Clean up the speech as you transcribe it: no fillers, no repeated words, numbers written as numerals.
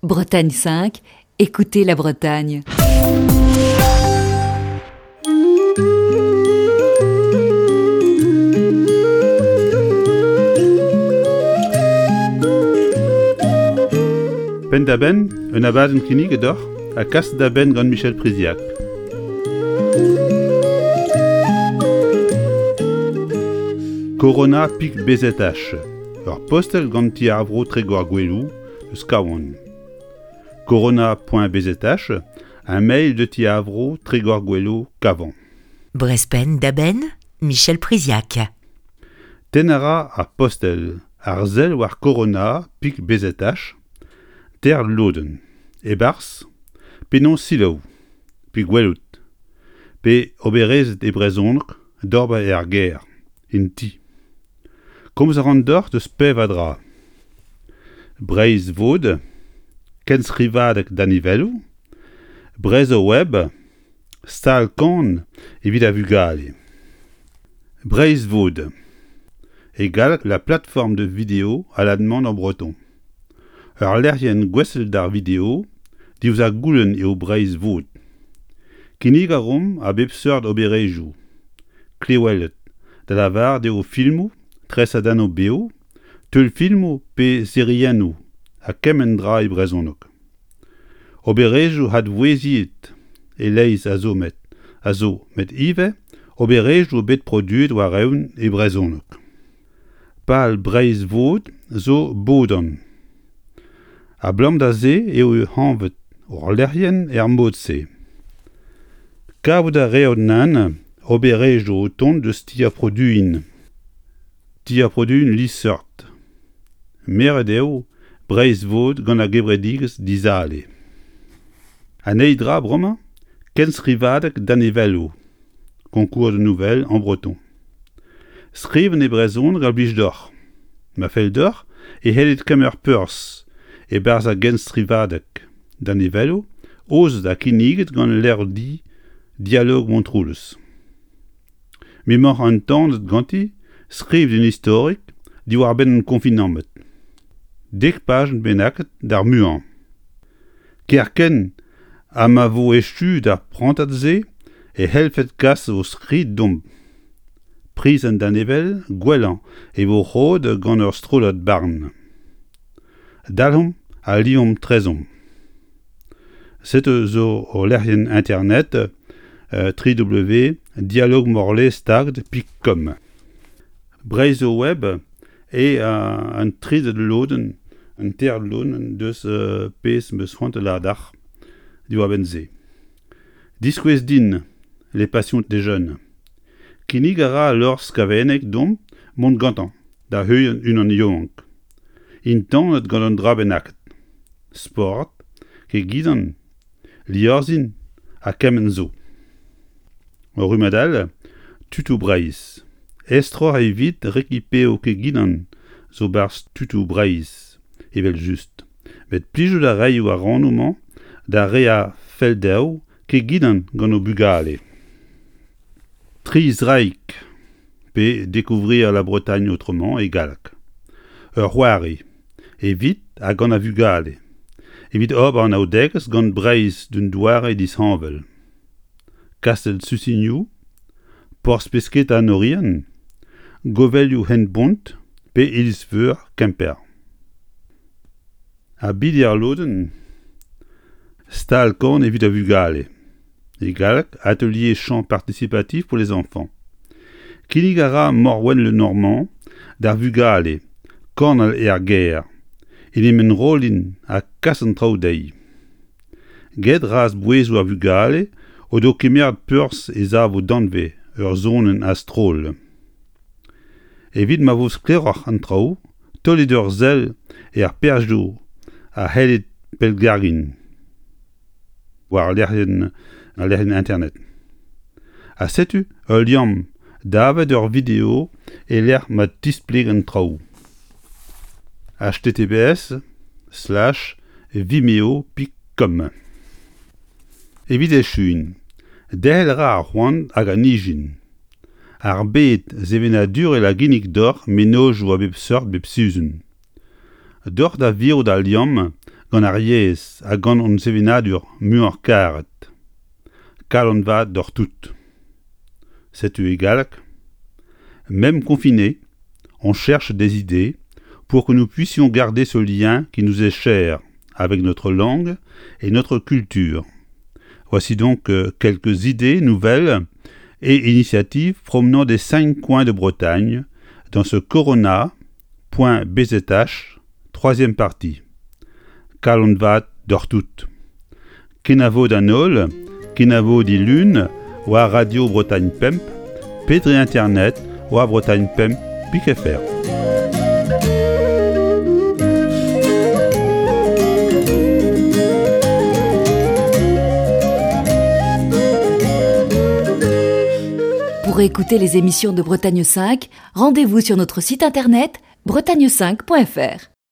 Bretagne 5, écoutez la Bretagne. Penn-da-benn, un abadenn kinniget deoc'h ha kaset da benn gant Michel Priziac. Corona Pic BZH, ur postel gant ti ar vro Tregor-Goueloù eus Kawan. Corona.bzh, un mail de ti ar vro Tregor-Goueloù Kavan. Brezpenn da benn, Michel Priziac. Tenn a ra ar postel ar sell war Corona Pic BZH, teir lodenn, e-barzh, penaos selaou, pe gwelout, pe oberezed e brezhoneg d'ober er gêr, en ti. Komz a ran deoc'h deus pevar dra. Breizh Vod, kenstrivadeg danevelloù, Brezhoweb, stal kan evit ar vugale. Breizh Vod, e galleg la plateforme de vidéo à la demande en breton. Ur lec'hienn gouestlet d'ar video diouzh ar goulenn eo Breizh Vod. Kinnig a reomp a bep seurt oberezhioù kleweled, da lavaret eo filmoù, tresadennoù bev, teulfilmoù pe seriennoù ha kement dra e brezhoneg. Oberezhioù advouezhiet e-leizh a zo met a zo met ivez oberezhioù bet produet war-eeun e brezhoneg. Pal Breizh Vod zo bodan. Abalamour da se eo anvet hor lec'hienn er mod-se. Kavout a reot nann oberezhioù o tont eus ti ar produin. Ti ar produin liesseurt. Meret eo Breizh Vod gant ar gevredigezh Dizale. An eil dra bremañ, kenstrivadeg danevelloù. Concours de nouvelles en breton. Skrivañ e brezhoneg a blij deoc'h. Ma fell deoc'h e c'hellit kemer perzh e-barzh ar genstrivadeg danevelloù aozet ha kinniget gant levrdi Dialogue Montroulez. M'emaoc'h entanet ganti, skrivit un istorig diwar-benn an konfinamant. Dek pajenn bennaket d'ar muiañ. Kerkent ha ma vo echu d'ar prantad-se e c'hellfed kas ho skrid deomp. Priz an danevell gwellañ e vo roet gant ur strollad barn. Dalc'homp ha liomp 'trezomp. Setu zo hol lec'hienn internet www.dialoguemorlestaged.com. Breizhoweb eo an trede lodenn, an teir lodenn deus pezh 'm eus c'hoant da lâret deoc'h diwar-benn se. Diskouez din Les passions des jeunes. Kinnig a ra Lors Skaveneg deomp mont gantañ da heuliañ unan yaouank. Entanet gant un dra bennaket. Sport, kegidan, liorzhin ha kement zo. Ur rummad all, Tutoù Breizh. Estroc'h evit rekipeoù keginan zo 'barzh Tutoù Breizh, evel-just. Met plijout a raio ar rannoù-mañ d'ar re a fell dezho keginan gant o bugale. Tri zraig pe Découvrir la Bretagne autrement e galleg. Ur c'hoari evit ha gant ar vugale, evit ober anaoudegezh gant Breizh d'un doare disheñvel. Kastell Susinioù, porzh-pesketa an Oriant, govelioù Henbont pe iliz-veur Kemper. Ha bili ar lodenn, stal-korn evit ar vugale. E galleg, atelier chant participatif pour les enfants. Kinnig a ra Morwenn Le Normand d'ar vugale kornel er gêr, en em enrollin ha kas an traoù dezhi. Get razh bouezoù ar vugale o do kemeret perzh e savo danvez ur sonenn a-stroll. Evit ma vo sklaeroc'h an traoù, taolit ur sell er perzhioù a c'hellit pellgargiñ war lec'hienn al lec'hienn internet. Ha setu ul liamm davet ur video e-lec'h ma tispleg an traoù. https slash vimeo.com Evit echuiñ, derc'hel a ra ar c'hoant hag an ijin. Ar bed sevenadurel a ginnig deoc'h mennozhioù a bep seurt bep sizhun. Deoc'h da virout al liamm gant ar yezh ha gant hon sevenadur muioc'h karet. Kalon vat deoc'h tout. Setu e galleg. Même confiné, on cherche des idées pour que nous puissions garder ce lien qui nous est cher avec notre langue et notre culture. Voici donc euh, quelques idées nouvelles et initiatives promenant des cinq coins de Bretagne dans ce corona.bzh troisième partie. Kalon vat deoc'h tout. Kenavo d'an holl, kenavo dilun war Radio Bretagne Pemp, pe dre internet war Bretagne Pemp pik fr. Pour écouter les émissions de Bretagne 5, rendez-vous sur notre site internet bretagne5.fr.